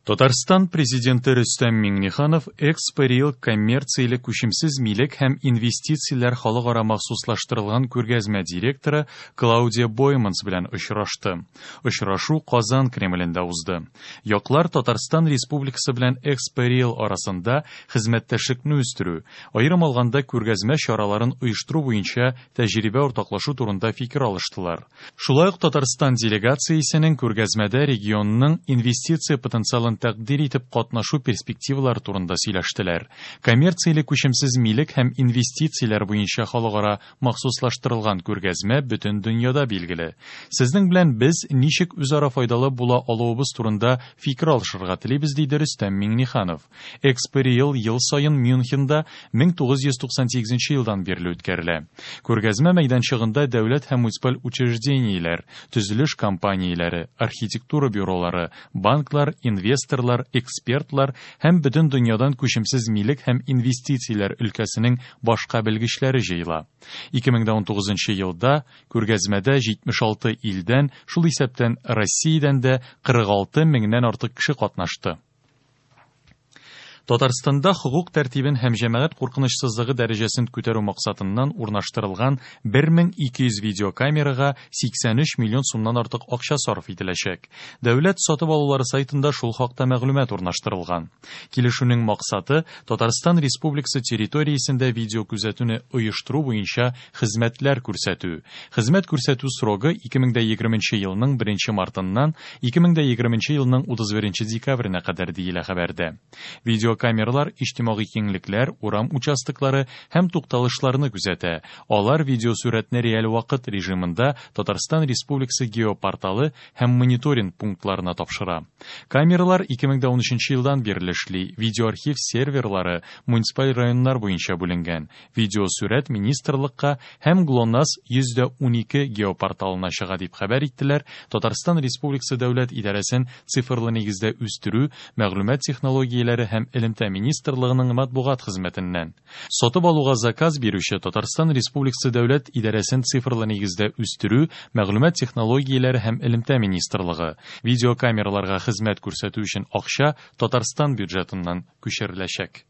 Татарстан Президенты Рөстәм Миңнеханов Экспо Риэл коммерцияле күчемсез милек һәм инвестицияләр халыкара махсуслаштырылган күргәзмә директоры Клаудия Бойманс белән очрашты. Очрашу Казан Кремлендә узды. Яклар Татарстан Республикасы белән Экспо Риэл арасында хезмәттәшлекне үстерү, аерым алганда күргәзмә чараларын оештыру буенча тәҗрибә уртаклашу турында фикер алыштылар. Шулай ук Татарстан делегациясенең күргәзмәдә регионның инвестиция потенциалын тәкъдир итеп катнашу перспективалары турында сөйләштеләр. Коммерцияле күчемсез милек һәм инвестицияләр буенча халыкара махсуслаштырылган күргәзмә бөтен дөньяда билгеле. Сезнең белән без ничек үзара файдалы була алуыбыз турында фикер алышырга телибез, диде Рөстәм Миңнеханов. Экспо Риэл ел саен Мюнхенда 1998 елдан бирле үткәрелә. Күргәзмә мәйданчыгында дәүләт һәм муниципаль учреждениеләр, төзелеш компанияләре, архитектура бюролары, банклар, инвесторлар, экспертлар һәм бөтен дөньядан күчемсез милек һәм инвестицияләр өлкәсенең башка белгечләре җыела. 2019 елда күргәзмәдә 76 илдән, шул исәптән Россиядән дә 46 меңнән артык кеше катнашты. Татарстанда хокук тәртибен һәм җәмәгать куркынычсызлыгы дәрәҗәсен күтәрү максатыннан урнаштырылган 1200 видеокамерага 83 миллион сумнан артык акча сарыф ителәчәк. Дәүләт сатып алулары сайтында шул хакта мәгълүмат урнаштырылган. Килешүнең максаты Татарстан Республикасы территориясендә видеокүзәтүне оештыру буенча хезмәтләр күрсәтү. Хезмәт күрсәтү срогы 2020 елның 1 мартыннан 2020 елның 31 декабренә кадәр диелә хәбәрдә. Видеокамералар иҗтимагый киңлекләр, урам участоклары һәм тукталышларны күзәтә. Алар видеосурәтне реаль вакыт режимында Татарстан Республикасы геопорталы һәм мониторинг пунктларына тапшыра. Камералар 2013 елдан бирле эшли. Видеоархив серверлары муниципаль районнар буенча бүленгән. Видеосурәт министрлыкка һәм ГЛОНАСС 112 геопорталына чыга дип хәбәр иттеләр Татарстан Республикасы дәүләт идарәсен цифрлы нигездә үстерү, мәгълүмат технологияләре һәм элемтә министрлыгының матбугат хезмәтеннән. Сатып алуга заказ бирүче Татарстан Республикасы дәүләт идарәсен цифрлы нигездә үстерү, мәгълүмат технологияләре һәм элемтә министрлыгы. Видеокамераларга хезмәт күрсәтү өчен акча Татарстан бюджетыннан күчереләчәк.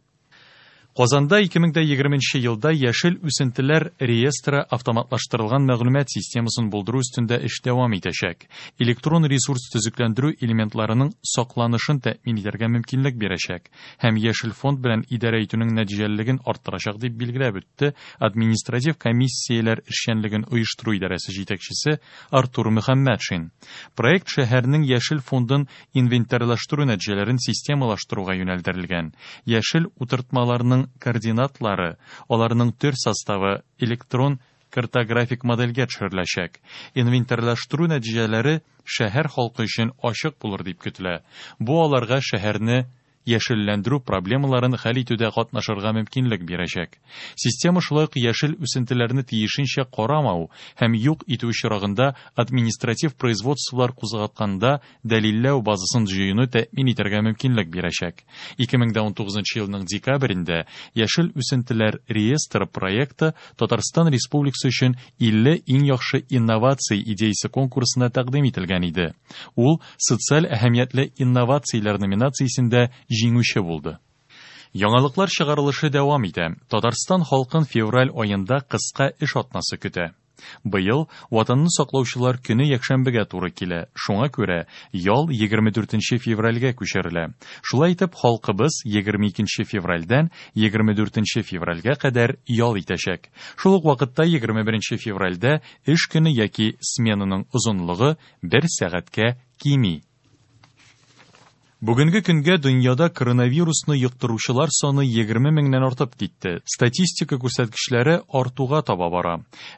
Казанда 2020 елда яшел үсентеләр реестры автоматлаштырылган мәгълүмат системасын булдыру өстендә эш дәвам итәчәк. Электрон ресурс төзекләндерү элементларының сакланышын тәэмин итәргә мөмкинлек бирәчәк һәм яшел фонд белән идарә итүнең нәтиҗәлелеген арттырачак дип билгеләп үтте административ комиссияләр эшчәнлеген оештыру идарәсе җитәкчесе Артур Мөхәммәтшин. Проект шәһәрнең яшел фондын инвентарьлаштыру нәтиҗәләрен системалаштыруга юнәлдерелгән. Яшел утыртмаларның координатлары, аларның төр составы электрон картографик модельгә төшереләчәк. Инвентарьлаштыру нәтиҗәләре шәһәр халкы өчен ачык булыр дип көтелә. Бу аларга шәһәрне яшелләндерү проблемаларын хәл итүдә катнашырга мөмкинлек бирәчәк. Система шулай ук яшел үсентеләрне тиешенчә карамау һәм юк итү очрагында административ производстволар кузгатканда дәлилләү базасын җыюны тәэмин итәргә мөмкинлек бирәчәк. 2019 елның декабрендә яшел үсентеләр реестры проекты Татарстан Республикасы өчен 50 иң яхшы инновация идеясе конкурсына тәкъдим ителгән иде. Ул социаль әһәмиятле инновацияләр номинациясендә җиңүче булды. Яңалыклар чыгарылышы дәвам итә. Татарстан халкын февраль аенда кыска эш атнасы көтә. Быел Ватанны саклаучылар көне якшәмбегә туры килә. Шуңа күрә ял 24 февральгә күчерелә. Шулай итеп халкыбыз 22 февральдән 24 февральгә кадәр ял итәчәк. Шул ук вакытта 21 февральдә эш көне яки сменаның озынлыгы 1 сәгатькә кими. Бүгенге көнгә дөньяда коронавирусны йоктыручылар саны 20 меңнән артып китте. Статистика күрсәткечләре артуга таба бара.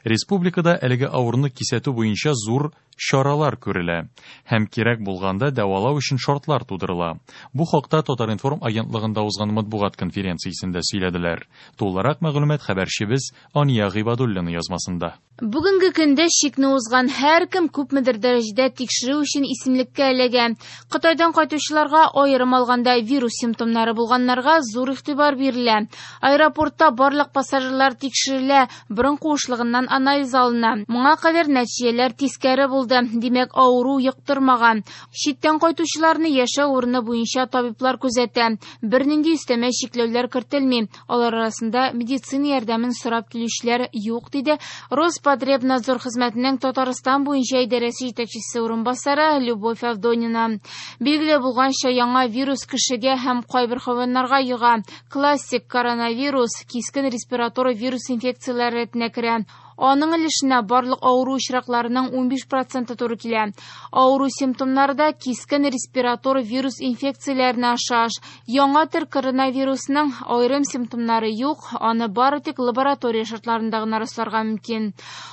Республикада әлеге авыруны кисәтү буенча зур чаралар күрелә һәм кирәк булганда дәвалау өчен шартлар тудырыла. Бу хакта Татар-информ агентлыгында узган матбугат конференциясендә сөйләделәр. Тулырак мәгълүмат хәбәрчебез Ания Гыйбадуллина язмасында. Бүгенге көндә чикне узган һәркем күпмедер дәрәҗәдә тикшерү өчен исемлеккә эләгә. Кытайдан кайтучыларга Авыруларга, аерым алганда вирус симптомнары булганнарга зур игътибар бирелә. Аэропортта барлык пассажирлар тикшерелә, борын куышлыгыннан анализ алына. Моңа кадәр нәтиҗәләр тискәре булды, димәк, авыру йоктырмаган. Читтән кайтучыларны яшәү урыны буенча табиблар күзәтә. Бернинди өстәмә чикләүләр кертелми. Алар арасында медицина ярдәмен сорап килүчеләр юк, диде Роспотребнадзор хезмәтенең Татарстан буенча идарәсе җитәкчесе урынбасары Любовь Авдонина. Билгеле булганча, яңа вирус кешегә һәм кайбер хайваннарга йога. Классик коронавирус кискен респиратор вирус инфекцияләре рәтенә керә. Аның өлешенә барлык авыру очракларының 15% туры килә. Авыру симптомнары да кискен респиратор вирус инфекцияләренә охшаш. Яңа төр коронавирусның аерым симптомнары юк, аны бары тик лаборатория шартларында гына расларга мөмкин.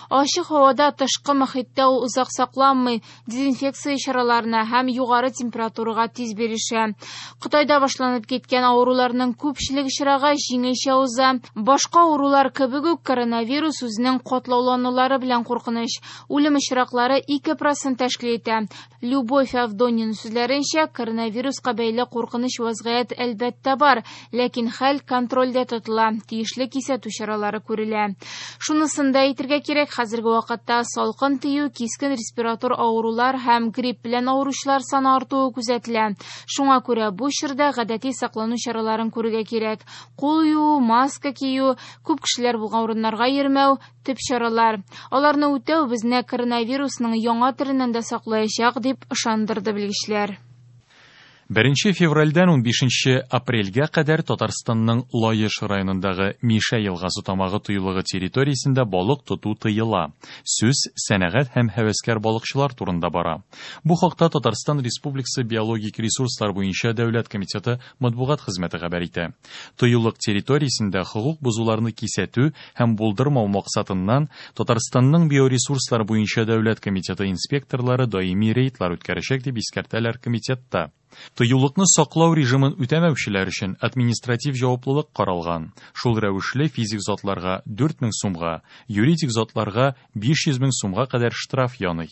Ачык һавада, тышкы мохиттә ул озак сакланмый, дезинфекция чараларына һәм югары температурага тиз бирешә. Кытайда башланып киткән авыруларның күпчелек очрагы җиңелчә уза. Башка авырулар кебек үк коронавирус үзенең катлауланулары белән куркыныч. Үлем очраклары 2% тәшкил итә. Любовь Авдонина сүзләренчә, коронавируска бәйле куркыныч вазгыять әлбәттә бар, ләкин хәл контрольдә тотыла, тиешле кисәтү чаралары күрелә. Шунысын да әйтергә кирәк, хәзерге вакытта салкын тию, кискен респиратор авырулар һәм грипп белән авыручылар саны артуы күзәтелә. Шуңа күрә бу чорда гадәти саклану чараларын күрергә кирәк. Кул юу, маска кию, күп кешеләр булган урыннарга йөрмәү төп чаралар. Аларны үтәү безне коронавирусның яңа төреннән дә саклаячак, дип ышандырды белгечләр. 1 февральдән 15 апрельгә кадәр Татарстанның Лаеш районындагы Мишә елгасы тамагы тыюлыгы территориясендә балык тоту тыела. Сүз сәнәгать һәм һәвәскәр балыкчылар турында бара. Бу хакта Татарстан Республикасы биологик ресурслар буенча дәүләт комитеты матбугат хезмәте хәбәр итә. Тыюлык территориясендә хокук бозуларны кисәтү һәм булдырмау максатыннан Татарстанның биоресурслар буенча дәүләт комитеты инспекторлары даими рейдлар үткәрәчәк, дип искәртәләр комитетта. Тыюлыкны саклау режимын үтәмәүчеләр өчен административ җаваплылык каралган. Шул рәвешле физик затларга 4000 сумга, юридик затларга 500 мең сумга кадәр штраф яный.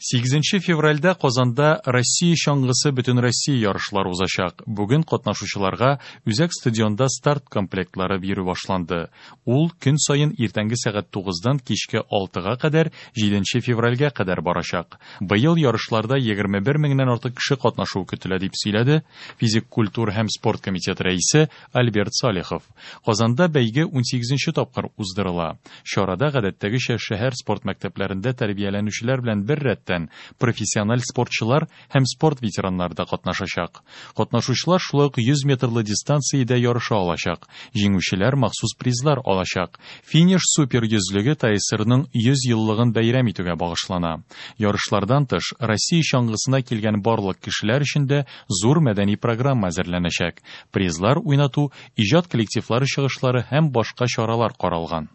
8 февральдә Казанда Россия чаңгысы Бөтенроссия ярышлары узачак. Бүген катнашучыларга үзәк стадионда старт комплектлары бирү башланды. Ул көн саен иртәнге сәгать 9-дан кичке 6-га кадәр 7 февральгә кадәр барачак. Быел ярышларда 21 меңнән артык кеше катнашуы көтелә, дип сөйләде физик культура һәм спорт комитеты рәисе Альберт Салихов. Казанда бәйге 18 тапкыр уздырыла. Чарада гадәттәгечә шәһәр спорт мәктәпләрендә тәрбияләнүчеләр белән бер рәттән профессиональ спортчылар һәм спорт ветераннары да катнашачак. Катнашучылар шулай ук 100 метрлы дистанциядә ярыша алачак. Җиңүчеләр махсус призлар алачак. Финиш супер йөзлеге ТАССРның 100 еллыгын бәйрәм итүгә багышлана. Ярышлардан тыш Россия чаңгысына килгән барлык кешеләр өчен дә зур мәдәни программа әзерләнәчәк. Призлар уйнату, иҗат коллективлары чыгышлары һәм башка чаралар каралган.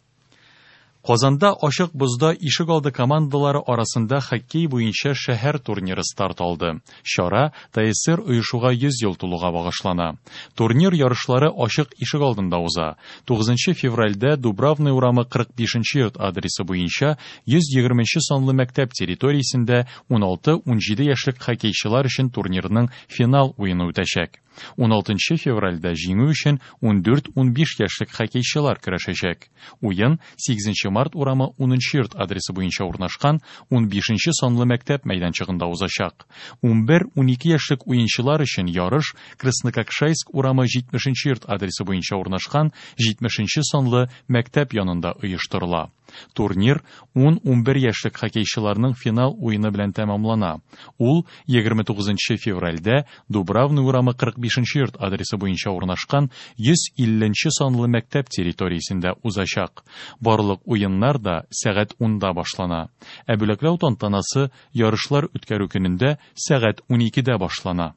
Казанда ачык бозда ишек алды командалары арасында хоккей буенча шәһәр турниры старт алды. Чара ТАССР оешуга 100 ел тулуга багышлана. Турнир ярышлары ачык ишек алдында уза. 9 февральдә Дубравный урамы 45 йорт адресы буенча 120 санлы мәктәп территориясендә 16-17 яшьлек хоккейчылар өчен турнирның финал уены үтәчәк. 16 февральдә җиңү өчен 14-15 яшьлек хоккейчылар көрәшәчәк. Уен 8 март урамы 10 йорт адресы буенча урнашкан 15 санлы мәктәп мәйданчыгында узачак. 11-12 яшьлек уенчылар өчен ярыш Краснококшайск урамы 70 йорт адресы буенча урнашкан 70 санлы мәктәп янында оештырыла. Турнир 10-11 яшьлек хоккейчыларның финал уены белән тәмамлана. Ул 29 февральдә Дубравный урамы 45 йорт адресы буенча урнашкан 150 санлы мәктәп территориясендә узачак. Барлык уеннар да сәгать 10-да башлана. Ә бүләкләү тантанасы ярышлар үткәрү көнендә сәгать 12-дә башлана.